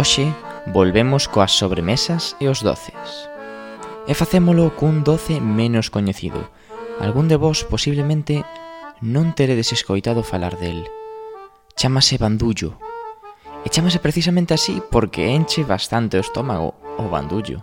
Hoxe volvemos coas sobremesas e os doces. E facémolo cun doce menos coñecido. Algún de vos posiblemente non teredes escoitado falar del. Chámase bandullo. E chámase precisamente así porque enche bastante o estómago, o bandullo.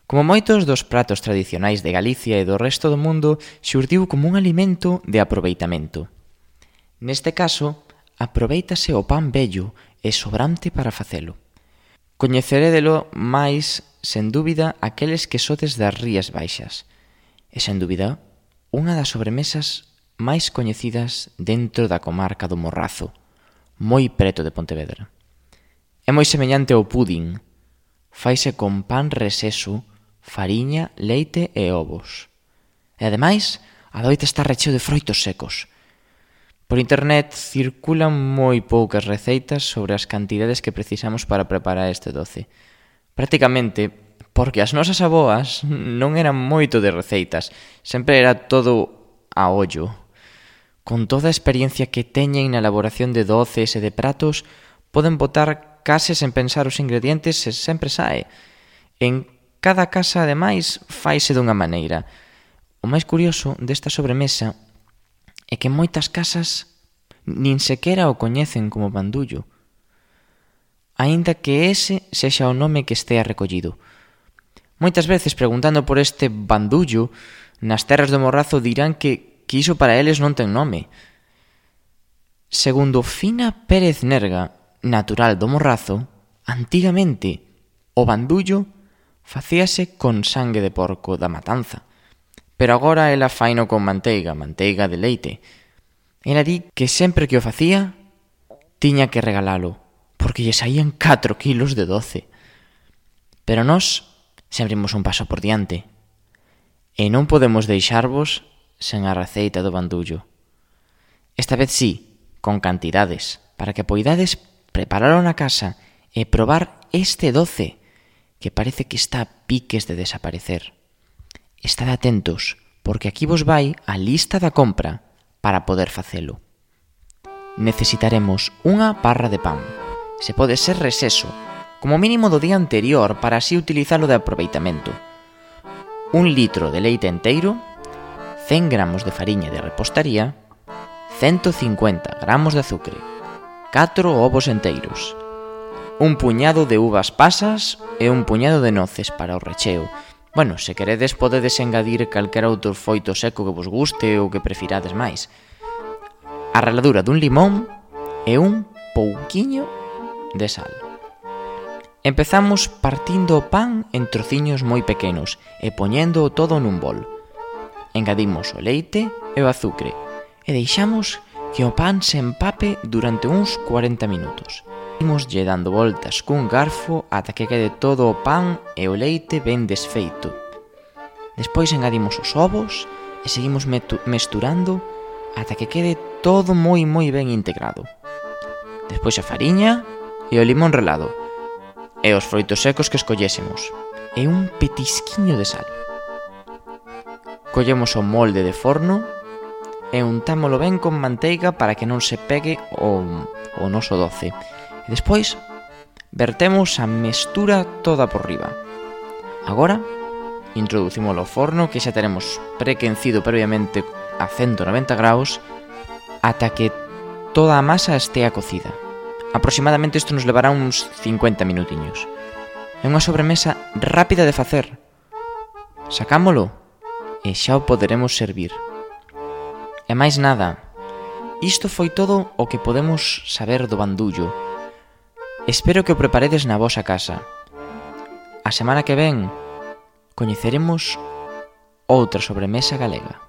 Como moitos dos pratos tradicionais de Galicia e do resto do mundo, xurdiu como un alimento de aproveitamento. Neste caso, aproveítase o pan vello e sobrante para facelo. Coñecerédelo máis, sen dúbida, aqueles que sodes das Rías Baixas. E, sen dúbida, unha das sobremesas máis coñecidas dentro da comarca do Morrazo, moi preto de Pontevedra. É moi semellante ao pudding. Faise con pan reseso, fariña, leite e ovos. E ademais, adoita estar recheo de froitos secos. Por internet circulan moi poucas receitas sobre as cantidades que precisamos para preparar este doce. Prácticamente, porque as nosas avoas non eran moito de receitas, sempre era todo a ollo. Con toda a experiencia que teñen na elaboración de doces e de pratos, poden botar case sen pensar os ingredientes e sempre sae. En cada casa, ademais, faise dunha maneira. O máis curioso desta sobremesa é que moitas casas nin sequera o coñecen como bandullo, aínda que ese sexa o nome que estea recollido. Moitas veces, preguntando por este bandullo, nas terras do Morrazo dirán que iso para eles non ten nome. Segundo Fina Pérez Nerga, natural do Morrazo, antigamente o bandullo facíase con sangue de porco da matanza, pero agora ela faino con manteiga de leite. Ela di que sempre que o facía, tiña que regalalo, porque lle saían 4 kilos de doce. Pero nós sempre imos un paso por diante, e non podemos deixarvos sen a receita do bandullo. Esta vez sí, con cantidades, para que poidades preparalo na casa e probar este doce, que parece que está a piques de desaparecer. Estad atentos, porque aquí vos vai a lista da compra para poder facelo. Necesitaremos unha barra de pan, se pode ser reseso, como mínimo do día anterior para así utilizalo de aproveitamento. 1 litro de leite enteiro, 100 gramos de fariña de repostaría, 150 gramos de azucre, 4 ovos enteiros, un puñado de uvas pasas e un puñado de noces para o recheo. Bueno, se queredes podedes engadir calquera outro foito seco que vos guste ou que prefirades máis. A raladura dun limón e un pouquiño de sal. Empezamos partindo o pan en trociños moi pequenos e poñendo todo nun bol. Engadimos o leite e o azucre e deixamos que o pan se empape durante uns 40 minutos. Imoslle dando voltas cun garfo ata que quede todo o pan e o leite ben desfeito. Despois engadimos os ovos e seguimos mesturando ata que quede todo moi ben integrado. Despois a fariña e o limón relado e os froitos secos que escollésemos e un petisquiño de sal. Collemos o molde de forno e untámolo ben con manteiga para que non se pegue o noso doce. E despois, vertemos a mestura toda por riba. Agora, introducímolo ao forno que xa teremos prequencido previamente a 190 graus ata que toda a masa estea cocida. Aproximadamente isto nos levará uns 50 minutiños. É unha sobremesa rápida de facer. Sacámolo e xa o poderemos servir. E máis nada, isto foi todo o que podemos saber do bandullo. Espero que o preparedes na vosa casa. A semana que ven coñeceremos outra sobremesa galega.